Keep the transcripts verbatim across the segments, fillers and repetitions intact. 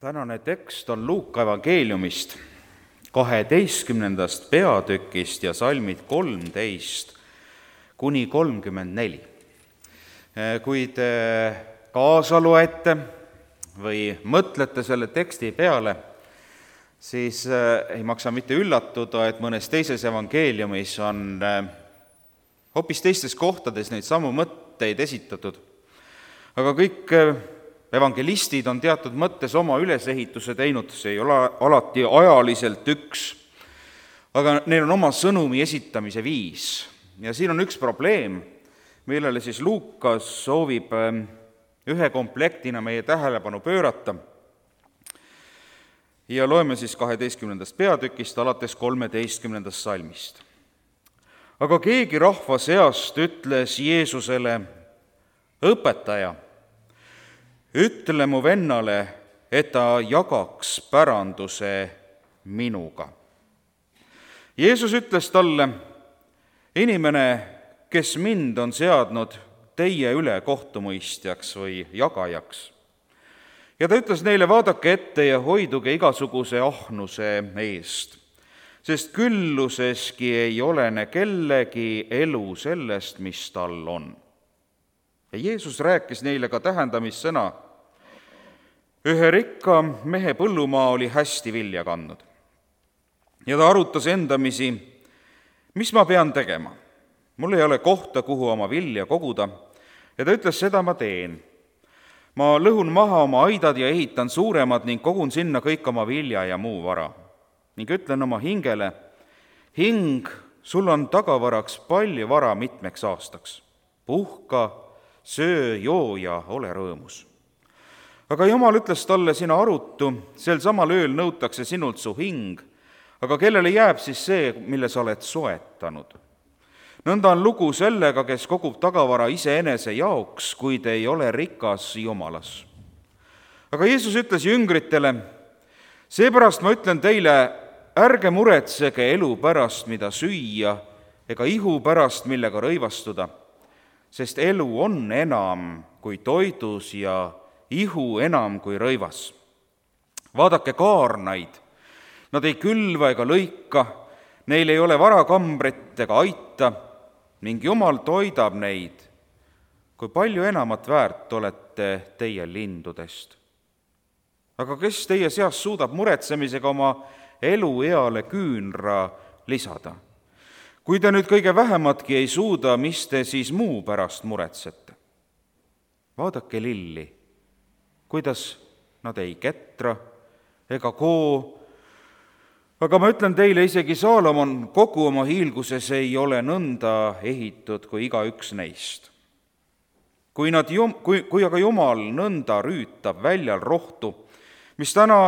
Tänane tekst on Luuka evangeeliumist, kaheteistkümnendast peatükist ja salmid kolmteist kuni kolmkümmend neli. Kui te kaasa loete või mõtlete selle teksti peale, siis ei maksa mitte üllatuda, et mõnes teises evangeeliumis on hoopis teistes kohtades neid samu mõtteid esitatud. Aga kõik evangelistid on teatud mõttes oma ülesehituse teinud, see ei ole alati ajaliselt üks, aga neil on oma sõnumi esitamise viis. Ja siin on üks probleem, millele siis Luukas soovib ühe komplektina meie tähelepanu pöörata. Ja loeme siis kaheteistkümnendast peatükist alates kolmeteistkümnendast salmist. Aga keegi rahva seast ütles Jeesusele: õpetaja, ütle mu vennale, et ta jagaks päranduse minuga. Jeesus ütles talle: inimene, kes mind on seadnud teie üle kohtumõistjaks või jagajaks. Ja ta ütles neile: vaadake ette ja hoiduge igasuguse ahnuse eest, sest külluseski ei olene kellegi elu sellest, mis tal on. Ja Jeesus rääkis neile ka tähendamissõna: ühe rikka mehe põllumaa oli hästi vilja kandnud. Ja ta arutas endamisi: mis ma pean tegema? Mul ei ole kohta, kuhu oma vilja koguda. Ja ta ütles: seda ma teen. Ma lõhun maha oma aidad ja ehitan suuremad ning kogun sinna kõik oma vilja ja muu vara. Ning ütlen oma hingele: hing, sul on tagavaraks palju vara mitmeks aastaks. Puhka, söö, joo ja ole rõõmus. Aga Jumal ütles talle: sina arutu, sel samal ööl nõutakse sinult su hing, aga kellele jääb siis see, mille sa oled soetanud? Nõnda on lugu sellega, kes kogub tagavara iseenese jaoks, kuid ei ole rikas Jumalas. Aga Jeesus ütles jüngritele: seepärast ma ütlen teile, ärge muretsege elu pärast, mida süüa, ega ihu pärast, millega rõivastuda, sest elu on enam kui toidus ja ihu enam kui rõivas. Vaadake kaarnaid, nad ei külva ega lõika, neil ei ole varakambrit ega aita, ning Jumal toidab neid. Kui palju enamat väärt olete teie lindudest. Aga kes teie seas suudab muretsemisega oma elueale küünra lisada? Kui te nüüd kõige vähematki ei suuda, mis te siis muu pärast muretsete? Vaadake lilli, kuidas nad ei ketra ega koo, aga ma ütlen teile, isegi Saalomon kogu oma hiilguses ei ole nõnda ehitud kui iga üks neist. Kui, nad, kui, kui aga Jumal nõnda rüütab väljal rohtu, mis täna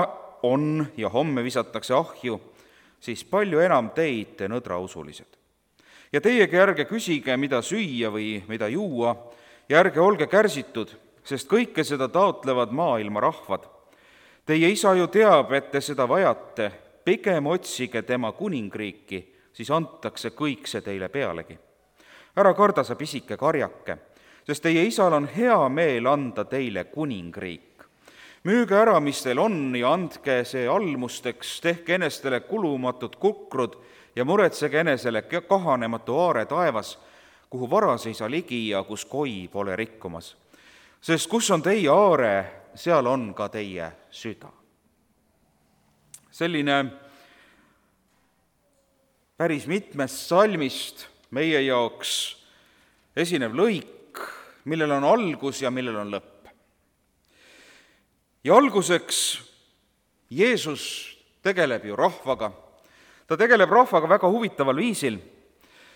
on ja homme visatakse ahju, siis palju enam teid, te nõdrausulised. Ja teiegi ärge küsige, mida süüa või mida juua, ja ärge olge kärsitud, sest kõike seda taotlevad maailma rahvad. Teie isa ju teab, et te seda vajate, pigem otsige tema kuningriiki, siis antakse kõik see teile pealegi. Ära karda sa pisike karjake, sest teie isal on hea meel anda teile kuningriik. Müüge ära, mis teil on, ja andke see almusteks, tehke enestele kulumatud kukrud ja muretsege enesele kahanematu aare taevas, kuhu varas ei saa ligi ja kus koi pole rikkumas. Sest kus on teie aare, seal on ka teie süda. Selline päris mitmest salmist meie jaoks esinev lõik, millel on algus ja millel on lõpp. Ja alguseks Jeesus tegeleb ju rahvaga. Ta tegeleb rahvaga väga huvitaval viisil.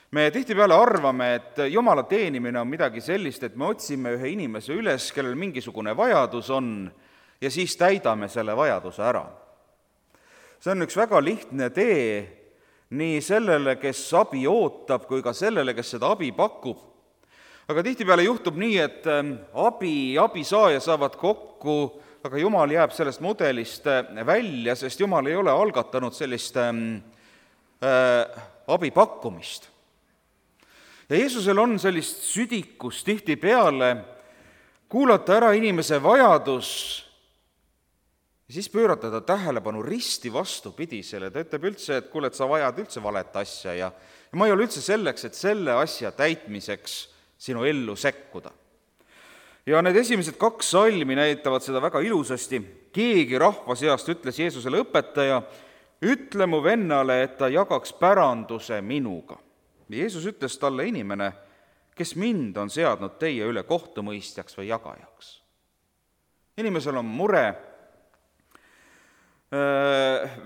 Me tihtipeale arvame, et Jumala teenimine on midagi sellist, et me otsime ühe inimese üles, kellel mingisugune vajadus on, ja siis täidame selle vajaduse ära. See on üks väga lihtne tee nii sellele, kes abi ootab, kui ka sellele, kes seda abi pakub. Aga tihtipeale juhtub nii, et abi, abisaaja saavad kokku, aga Jumal jääb sellest mudelist välja, sest Jumal ei ole algatanud sellist äh, abi pakkumist. Ja Jeesusel on sellist südikus tihtipeale kuulata ära inimese vajadus ja siis pöörata ta tähelepanu risti vastupidisele, ta ütleb üldse, et kuule, et sa vajad üldse valet asja ja, ja ma ei ole üldse selleks, et selle asja täitmiseks sinu ellu sekkuda. Ja need esimesed kaks salmi näitavad seda väga ilusasti. Keegi rahva seast ütles Jeesusele: õpetaja, ütle mu vennale, et ta jagaks päranduse minuga. Jeesus ütles talle: inimene, kes mind on seadnud teie üle kohtumõistjaks või jagajaks. Inimesel on mure,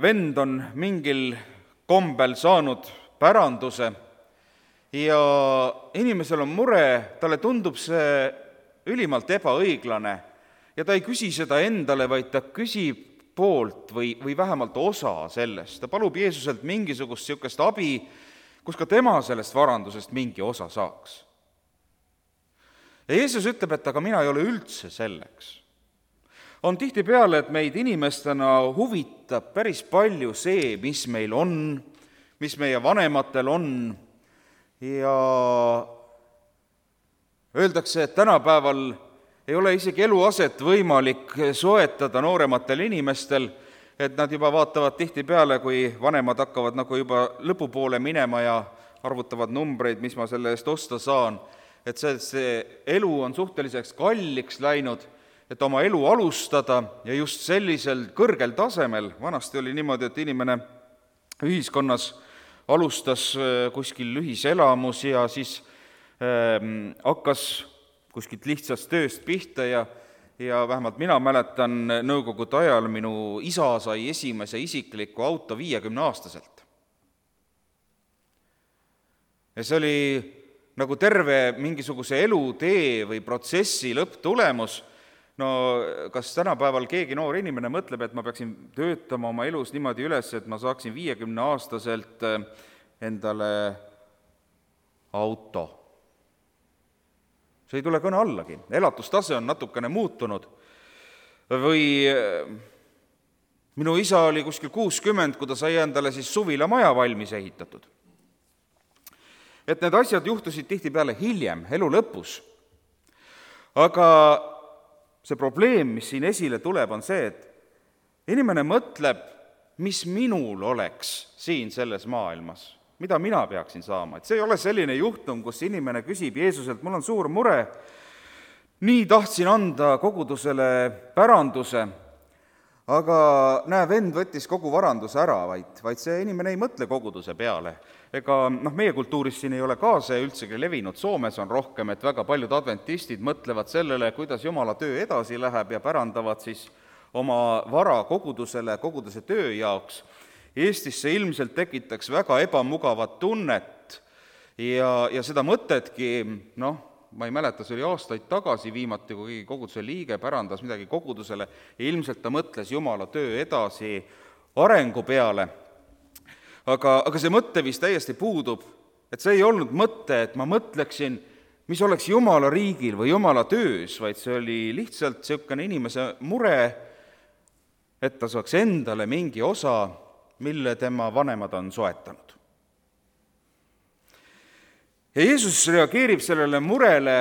vend on mingil kombel saanud päranduse ja inimesel on mure, talle tundub see ülimalt ebaõiglane ja ta ei küsi seda endale, vaid ta küsib poolt või, või vähemalt osa sellest. Ta palub Jeesuselt mingisugust niisugust abi, kus ka tema sellest varandusest mingi osa saaks. Ja Jeesus ütleb, et aga mina ei ole üldse selleks. On tihtipeale, et meid inimestena huvitab päris palju see, mis meil on, mis meie vanematel on ja öeldakse, et tänapäeval ei ole isegi eluaset võimalik soetada noorematel inimestel, et nad juba vaatavad tihtipeale, kui vanemad hakkavad nagu juba lõpupoole minema ja arvutavad numbreid, mis ma selle eest osta saan, et see, see elu on suhteliseks kalliks läinud, et oma elu alustada ja just sellisel kõrgel tasemel. Vanasti oli niimoodi, et inimene ühiskonnas alustas kuskil ühiselamus ja siis ähm, hakkas kuskilt lihtsast tööst pihta ja, ja vähemalt mina mäletan nõukogude ajal minu isa sai esimese isikliku auto viiekümneaastaselt. Ja see oli nagu terve mingisuguse elutee või protsessi lõpptulemus. No kas tänapäeval keegi noor inimene mõtleb, et ma peaksin töötama oma elus niimoodi üles, et ma saaksin viiekümneaastaselt endale auto? See ei tule kõne allagi. Elatustase on natukene muutunud. Või minu isa oli kuskil kuuskümmend, kui ta sai endale siis suvila maja valmis ehitatud. Et need asjad juhtusid tihtipeale hiljem, elu lõpus. Aga see probleem, mis siin esile tuleb, on see, et inimene mõtleb, mis minul oleks siin selles maailmas, mida mina peaksin saama. Et see ei ole selline juhtum, kus inimene küsib Jeesuselt: mul on suur mure, nii tahtsin anda kogudusele päranduse, aga näe, vend võttis kogu varanduse ära, vaid, vaid see inimene ei mõtle koguduse peale. Ega noh, meie kultuuris siin ei ole ka see üldsegi levinud. Soomes on rohkem, et väga paljud adventistid mõtlevad sellele, kuidas Jumala töö edasi läheb ja pärandavad siis oma vara kogudusele, koguduse töö jaoks. Eestis see ilmselt tekitaks väga ebamugavat tunnet ja, ja seda mõtetki, noh, ma ei mäleta, see oli aastaid tagasi viimati, kui koguduse liige pärandas midagi kogudusele ja ilmselt ta mõtles Jumala töö edasi arengu peale. Aga, aga see mõte vist täiesti puudub, et see ei olnud mõte, et ma mõtleksin, mis oleks Jumala riigil või Jumala töös, vaid see oli lihtsalt niisugune inimese mure, et ta saaks endale mingi osa, mille tema vanemad on soetanud. Ja Jeesus reageerib sellele murele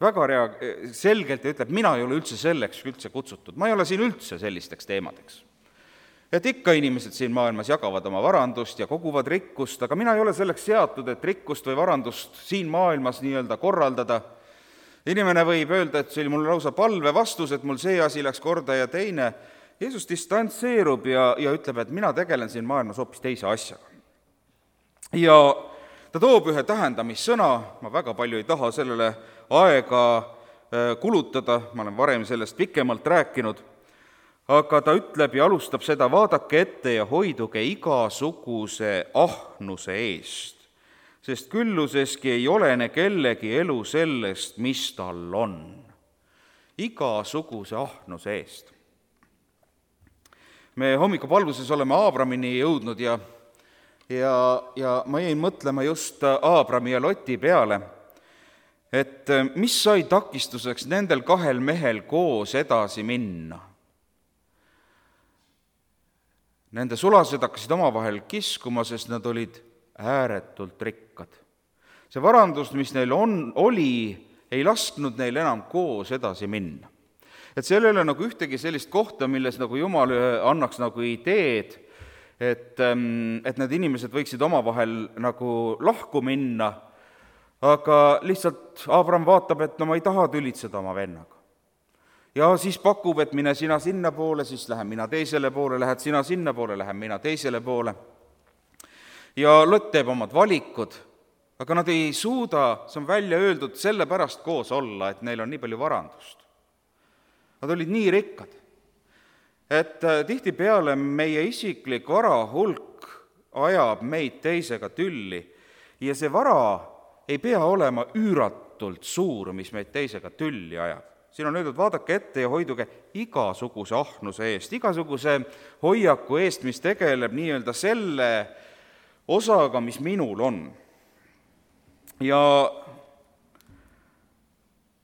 väga rea- selgelt ja ütleb: mina ei ole üldse selleks üldse kutsutud, ma ei ole siin üldse sellisteks teemadeks. Et ikka inimesed siin maailmas jagavad oma varandust ja koguvad rikkust, aga mina ei ole selleks seatud, et rikkust või varandust siin maailmas nii-öelda korraldada. Inimene võib öelda, et see oli mul lausa palve vastus, et mul see asi läks korda ja teine. Jeesus distantseerub ja, ja ütleb, et mina tegelen siin maailmas hoopis teise asjaga. Ja ta toob ühe tähendamissõna, ma väga palju ei taha sellele aega kulutada, ma olen varem sellest pikemalt rääkinud, aga ta ütleb ja alustab seda: vaadake ette ja hoiduge igasuguse ahnuse eest, sest külluseski ei olene kellegi elu sellest, mis tal on. Igasuguse ahnuse eest. Me hommikupalvuses oleme Aabramini jõudnud ja, ja, ja ma jäin mõtlema just Aabrami ja Loti peale, et mis sai takistuseks nendel kahel mehel koos edasi minna. Nende sulased hakkasid omavahel kiskuma, sest nad olid ääretult rikkad. See varandus, mis neil on, oli, ei lasknud neil enam koos edasi minna. et seal ei ole nagu ühtegi sellist kohta, milles nagu Jumal annaks nagu ideed, et, et need inimesed võiksid omavahel nagu lahku minna, aga lihtsalt Abraham vaatab, et no ma ei taha tülitseda oma vennaga. Ja siis pakub, et mine sina sinna poole, siis lähen mina teisele poole, lähed sina sinna poole, lähen mina teisele poole. Ja Lot teeb omad valikud, aga nad ei suuda, see on välja öeldud, sellepärast koos olla, et neil on nii palju varandust. Nad olid nii rikkad, et tihtipeale meie isiklik vara hulk ajab meid teisega tülli ja see vara ei pea olema üüratult suur, mis meid teisega tülli ajab. Siin on öeldud, vaadake ette ja hoiduge igasuguse ahnuse eest, igasuguse hoiaku eest, mis tegeleb nii-öelda selle osaga, mis minul on. Ja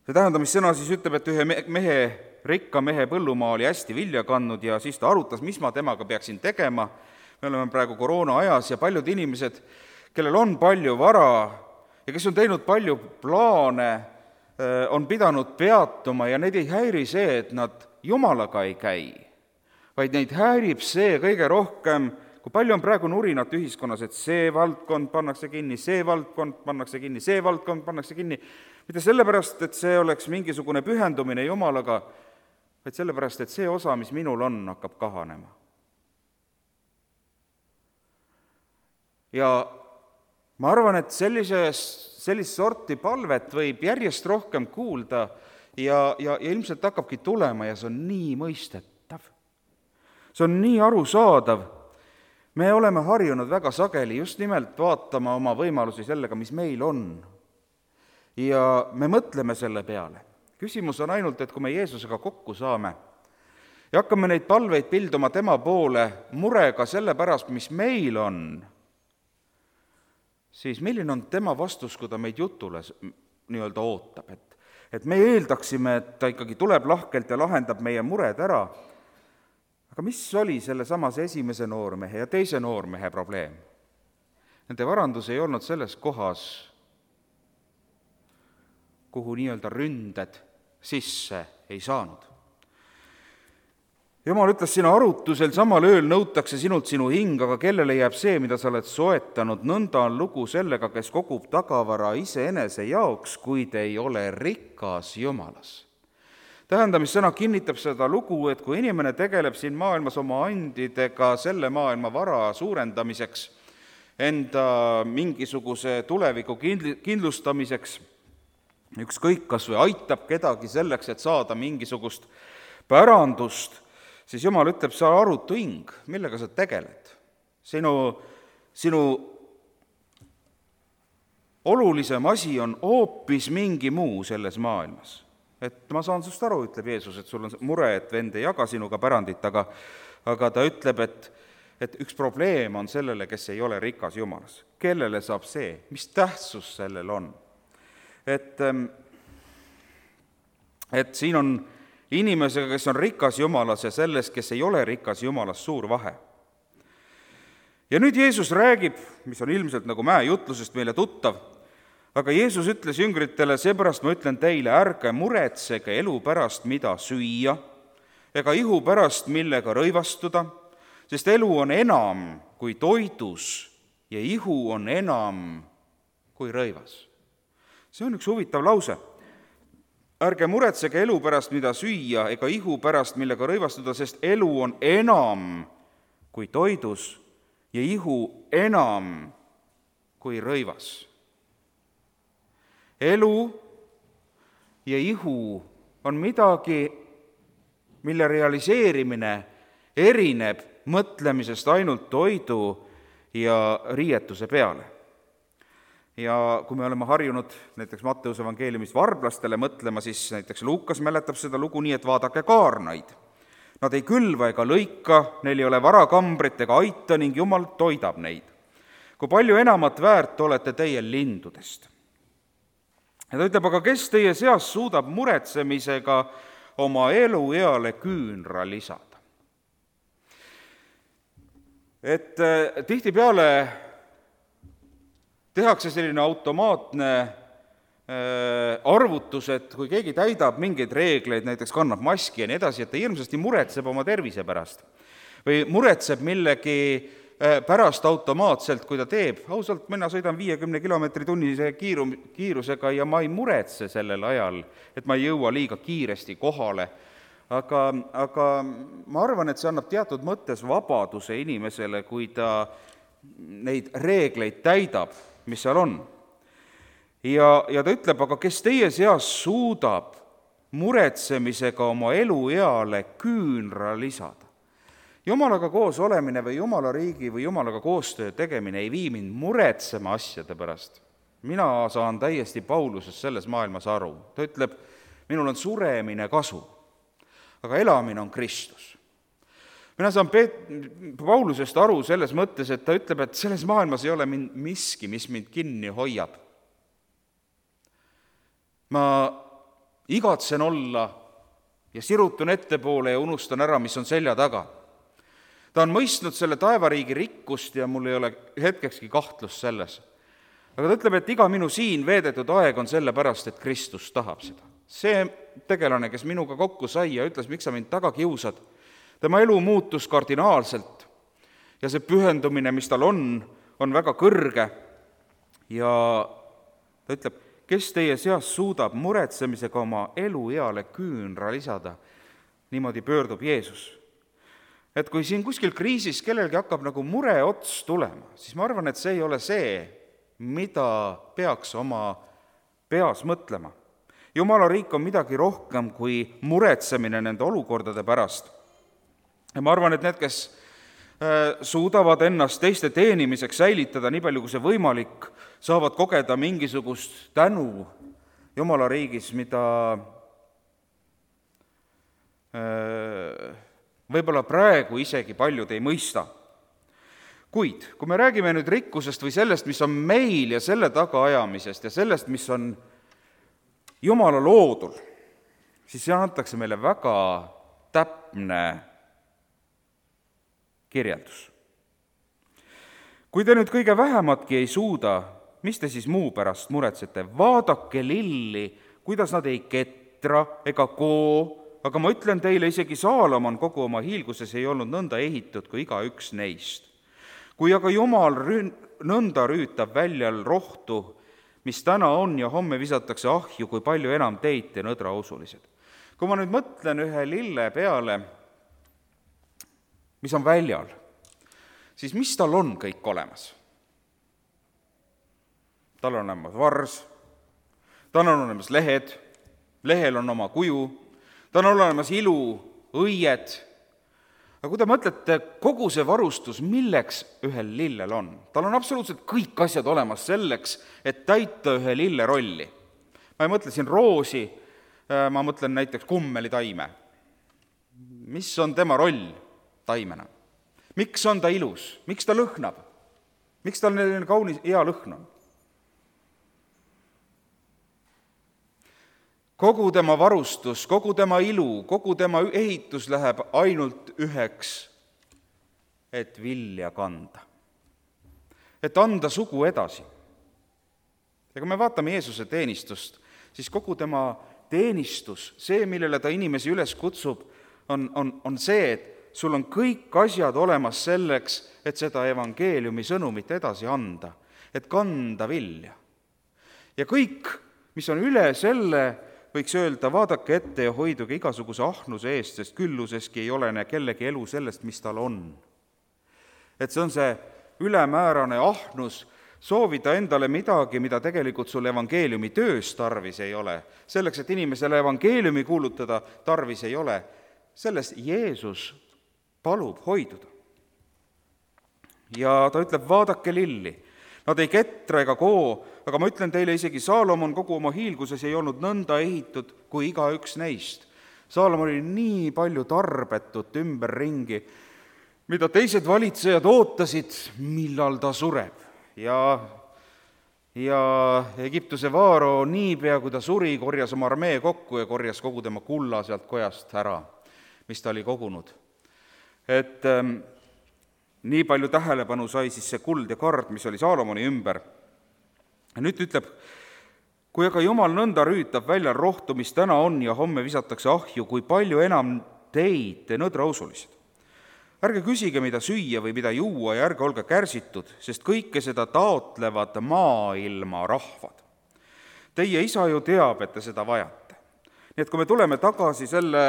see tähendamissõna siis ütleb, et ühe mehe, rikka mehe põllumaa oli hästi vilja kandnud ja siis ta arutas, mis ma temaga peaksin tegema. Me oleme praegu koroona ajas ja paljud inimesed, kellel on palju vara ja kes on teinud palju plaane, on pidanud peatuma ja neid ei häiri see, et nad Jumalaga ei käi, vaid neid häirib see kõige rohkem, kui palju on praegu nurinat ühiskonnas, et see valdkond pannakse kinni, see valdkond pannakse kinni, see valdkond pannakse kinni, mitte sellepärast, et see oleks mingisugune pühendumine Jumalaga, vaid sellepärast, et see osa, mis minul on, hakkab kahanema. Ja ma arvan, et sellises, sellist sorti palvet võib järjest rohkem kuulda ja, ja, ja ilmselt hakkabki tulema ja see on nii mõistetav. See on nii arusaadav. Me oleme harjunud väga sageli just nimelt vaatama oma võimalusi sellega, mis meil on. Ja me mõtleme selle peale. Küsimus on ainult, et kui me Jeesusega kokku saame ja hakkame neid palveid pilduma tema poole murega selle pärast, mis meil on, siis milline on tema vastus, kui ta meid jutule nii-öelda ootab, et, et me eeldaksime, et ta ikkagi tuleb lahkelt ja lahendab meie mured ära. Aga mis oli selle samase esimese noormehe ja teise noormehe probleem? Nende varandus ei olnud selles kohas, kuhu nii-öelda ründed sisse ei saanud. Jumal ütles, sina arutusel samal ööl nõutakse sinult sinu hing, aga kellele jääb see, mida sa oled soetanud, nõnda on lugu sellega, kes kogub tagavara iseenese jaoks, kuid ei ole rikas Jumalas. Tähendamissõna kinnitab seda lugu, et kui inimene tegeleb siin maailmas oma andidega selle maailma vara suurendamiseks, enda mingisuguse tuleviku kindlustamiseks, ükskõik kas või aitab kedagi selleks, et saada mingisugust pärandust, siis Jumal ütleb, sa arutu hing, millega sa tegeled. Sinu, sinu olulisem asi on hoopis mingi muu selles maailmas. Et ma saan sust aru, ütleb Jeesus, et sul on mure, et vend ei jaga sinuga pärandit, aga, aga ta ütleb, et, et üks probleem on sellele, kes ei ole rikas Jumalas. Kellele saab see? Mis tähtsus sellel on? Et, et siin on inimesega, kes on rikas Jumalas ja selles, kes ei ole rikas Jumalas, suur vahe. Ja nüüd Jeesus räägib, mis on ilmselt nagu mäejutlusest meile tuttav, aga Jeesus ütles jüngritele, seepärast ma ütlen teile, ärge muretsege elu pärast, mida süüa, ega ihu pärast, millega rõivastuda, sest elu on enam kui toidus ja ihu on enam kui rõivas. See on üks huvitav lause. Ärge muretsege elu pärast, mida süüa, ega ihu pärast, millega rõivastuda, sest elu on enam kui toidus ja ihu enam kui rõivas. Elu ja ihu on midagi, mille realiseerimine erineb mõtlemisest ainult toidu ja riietuse peale. Ja kui me oleme harjunud näiteks Matteuse evangeeliumist varblastele mõtlema, siis näiteks Luukas mäletab seda lugu nii, et vaadake kaarnaid. Nad ei külva ega lõika, neil ei ole varakambrit ega aita ning Jumal toidab neid. Kui palju enamat väärt olete teie lindudest? Ja ta ütleb, aga kes teie seas suudab muretsemisega oma elueale küünra lisada? Et tihtipeale tehakse selline automaatne arvutused, kui keegi täidab mingeid reegleid, näiteks kannab maski ja nii edasi, et ta hirmsasti muretseb oma tervise pärast või muretseb millegi pärast automaatselt, kui ta teeb. Ausalt, mina sõidan viiekümne kilomeetri tunnise kiiru, kiirusega ja ma ei muretse sellel ajal, et ma ei jõua liiga kiiresti kohale. Aga, aga ma arvan, et see annab teatud mõttes vabaduse inimesele, kui ta neid reegleid täidab, mis seal on. Ja, ja ta ütleb, aga kes teie seas suudab muretsemisega oma elueale küünra lisada? Jumalaga koos olemine või Jumala riigi või Jumalaga koostöö tegemine ei vii mind muretsema asjade pärast. Mina saan täiesti Paulusest selles maailmas aru. Ta ütleb, minul on suremine kasu, aga elamine on Kristus. Mina saan Peet- Paulusest aru selles mõttes, et ta ütleb, et selles maailmas ei ole mind miski, mis mind kinni hoiab. Ma igatsen olla ja sirutun ettepoole ja unustan ära, mis on selja taga. Ta on mõistnud selle taevariigi rikkust ja mul ei ole hetkekski kahtlust selles. Aga ta ütleb, et iga minu siin veedetud aeg on selle pärast, et Kristus tahab seda. See tegelane, kes minuga kokku sai ja ütles, miks sa mind taga kiusad, tema elu muutus kardinaalselt ja see pühendumine, mis tal on, on väga kõrge ja ta ütleb, kes teie seas suudab muretsemisega oma elueale küünra lisada, niimoodi pöördub Jeesus. Et kui siin kuskil kriisis kellelgi hakkab nagu mure ots tulema, siis ma arvan, et see ei ole see, mida peaks oma peas mõtlema. Jumala riik on midagi rohkem kui muretsemine nende olukordade pärast. Ja ma arvan, et need, kes suudavad ennast teiste teenimiseks säilitada nii palju, kui see võimalik, saavad kogeda mingisugust tänu Jumala riigis, mida võib-olla praegu isegi paljud ei mõista. Kuid, kui me räägime nüüd rikkusest või sellest, mis on meil ja selle tagaajamisest ja sellest, mis on Jumala loodul, siis see antakse meile väga täpne kirjeldus. Kui te nüüd kõige vähematki ei suuda, mis te siis muu pärast muretsete? Vaadake lilli, kuidas nad ei ketra ega koo, aga ma ütlen teile, isegi Saalomon kogu oma hiilguses ei olnud nõnda ehitud kui iga üks neist. Kui aga Jumal rüün, nõnda rüütab väljal rohtu, mis täna on ja homme visatakse ahju, kui palju enam teid te nõdrausulised. Kui ma nüüd mõtlen ühe lille peale, mis on väljal, siis mis tal on kõik olemas? Tal on olemas vars, tal on olemas lehed, lehel on oma kuju, tal on olemas ilu, õied. Aga kui te mõtlete, kogu see varustus, milleks ühel lillel on? Tal on absoluutselt kõik asjad olemas selleks, et täita ühe lille rolli. Ma ei mõtle siin roosi, ma mõtlen näiteks kummelitaime. Mis on tema roll taimena? Miks on ta ilus? Miks ta lõhnab? Miks tal selline kaunis hea lõhn on? Kogu tema varustus, kogu tema ilu, kogu tema ehitus läheb ainult üheks, et vilja kanda. Et anda sugu edasi. Ja kui me vaatame Jeesuse teenistust, siis kogu tema teenistus, see, millele ta inimesi üles kutsub, on, on, on see, et sul on kõik asjad olemas selleks, et seda evangeeliumi sõnumit edasi anda, et kanda vilja. Ja kõik, mis on üle selle, võiks öelda, vaadake ette ja hoiduge igasuguse ahnuse eest, sest külluseski ei olene kellegi elu sellest, mis tal on. Et see on see ülemäärane ahnus, soovida endale midagi, mida tegelikult sul evangeeliumi töös tarvis ei ole. Selleks, et inimesele evangeeliumi kuulutada tarvis ei ole, sellest Jeesus palub hoiduda. Ja ta ütleb, vaadake lilli. Nad ei ketra ega koo, aga ma ütlen teile, isegi Saalomon kogu oma hiilguses ei olnud nõnda ehitud kui iga üks neist. Saalomon oli nii palju tarbetut ümberringi, mida teised valitsejad ootasid, millal ta sureb. Ja, ja Egiptuse vaaro niipea, kui ta suri, korjas oma armee kokku ja korjas kogu tema kulla sealt kojast ära, mis ta oli kogunud. Et ähm, nii palju tähelepanu sai siis see kuld ja kard, mis oli Saalomoni ümber. Ja nüüd ütleb kui aga Jumal nõnda rüütab välja rohtu, mis täna on ja homme visatakse ahju, kui palju enam teid, te nõdrausulised. Ärge küsige, mida süüa või mida juua ja ärge olge kärsitud, sest kõike seda taotlevad maailma rahvad. Teie isa ju teab, et te seda vajate. Nii et kui me tuleme tagasi selle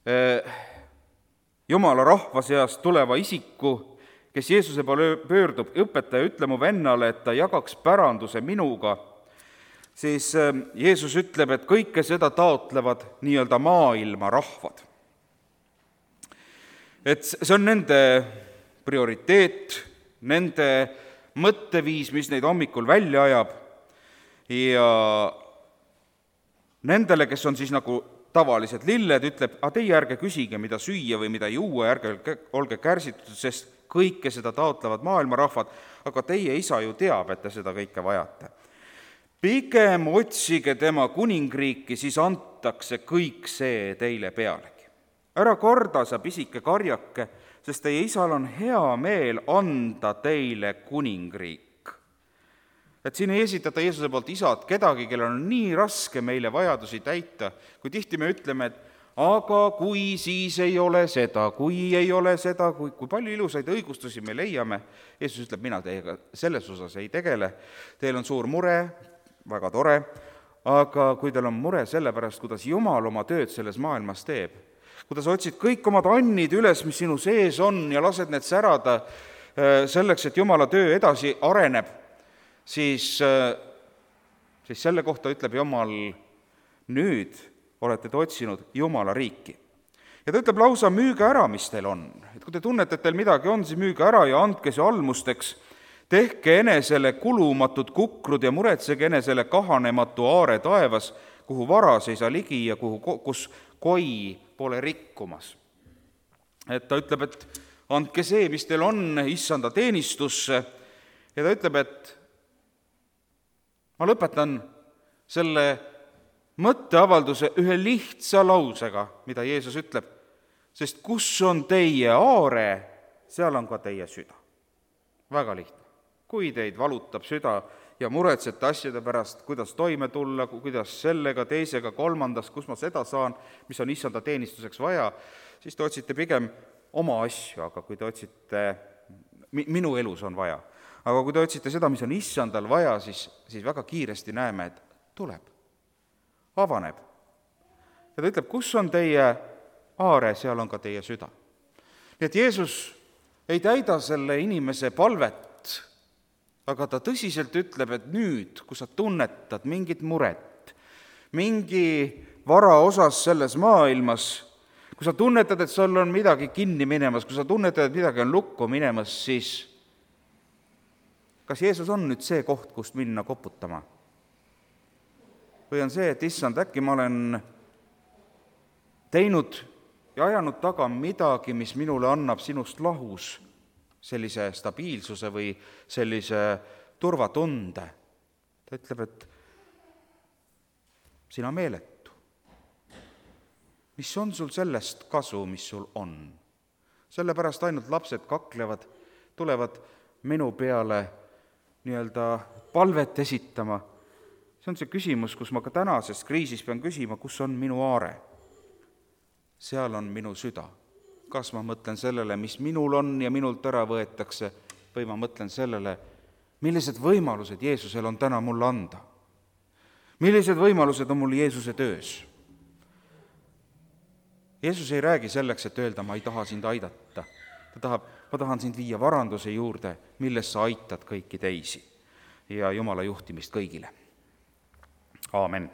eh, Jumala rahva seast tuleva isiku, kes Jeesuse poole pöördub, õpetaja, ütle mu vennale, et ta jagaks päranduse minuga, siis Jeesus ütleb, et kõike seda taotlevad nii-öelda maailma rahvad. Et see on nende prioriteet, nende mõtteviis, mis neid hommikul välja ajab, ja nendele, kes on siis nagu tavalised lilled, ütleb, aga teie ärge küsige, mida süüa või mida juua, ärge olge kärsitud, sest kõike seda taotlevad maailma rahvad, aga teie isa ju teab, et te seda kõike vajate. Pigem otsige tema kuningriiki, siis antakse kõik see teile pealegi. Ära karda, sa pisike karjake, sest teie isal on hea meel anda teile kuningriik. Et siin ei esitata Jeesuse poolt isad kedagi, kellel on nii raske meile vajadusi täita, kui tihti me ütleme, et aga kui siis ei ole seda, kui ei ole seda, kui, kui palju ilusaid õigustusi me leiame. Jeesus ütleb, mina teiega selles osas ei tegele, teil on suur mure, väga tore, aga kui teil on mure selle pärast, kuidas Jumal oma tööd selles maailmas teeb, kuidas otsid kõik omad annid üles, mis sinu sees on, ja lased need särada selleks, et Jumala töö edasi areneb, siis, siis selle kohta ütleb Jumal, nüüd olete te otsinud Jumala riiki. Ja ta ütleb lausa, müüge ära, mis teil on. Et kui te tunnete, et teil midagi on, siis müüge ära ja andke see almusteks. Tehke enesele kulumatud kukrud ja muretsege enesele kahanematu aare taevas, kuhu varas ei saa ligi ja kuhu, kus koi pole rikkumas. Et ta ütleb, et andke see, mis teil on, issanda teenistusse, ja ta ütleb, et ma lõpetan selle mõtteavalduse ühe lihtsa lausega, mida Jeesus ütleb, sest kus on teie aare, seal on ka teie süda. Väga lihtne. Kui teid valutab süda ja muretsete asjade pärast, kuidas toime tulla, kuidas sellega, teisega, kolmandas, kus ma seda saan, mis on issanda teenistuseks vaja, siis te otsite pigem oma asju, aga kui te otsite, minu elus on vaja, aga kui te otsite seda, mis on issandal vaja, siis, siis väga kiiresti näeme, et tuleb, avaneb. Ja ta ütleb, kus on teie aare, seal on ka teie süda. Nii et Jeesus ei täida selle inimese palvet, aga ta tõsiselt ütleb, et nüüd, kui sa tunnetad mingit muret, mingi vara osas selles maailmas, kui sa tunnetad, et sul on midagi kinni minemas, kui sa tunnetad, et midagi on lukku minemas, siis kas Jeesus on nüüd see koht, kust minna koputama? Või on see, et issand, äkki ma olen teinud ja ajanud taga midagi, mis minule annab sinust lahus sellise stabiilsuse või sellise turvatunde. Ta ütleb, et sina meeletu. Mis on sul sellest kasu, mis sul on? Sellepärast ainult lapsed kaklevad, tulevad minu peale nii-öelda palvet esitama. See on see küsimus, kus ma ka tänases kriisis pean küsima, kus on minu aare? Seal on minu süda. Kas ma mõtlen sellele, mis minul on ja minult ära võetakse, või ma mõtlen sellele, millised võimalused Jeesusel on täna mulle anda? Millised võimalused on mul Jeesuse töös? Jeesus ei räägi selleks, et öelda, ma ei taha sind aidata. Ta tahab, ma tahan sind viia varanduse juurde, milles sa aitad kõiki teisi ja Jumala juhtimist kõigile. Aamen.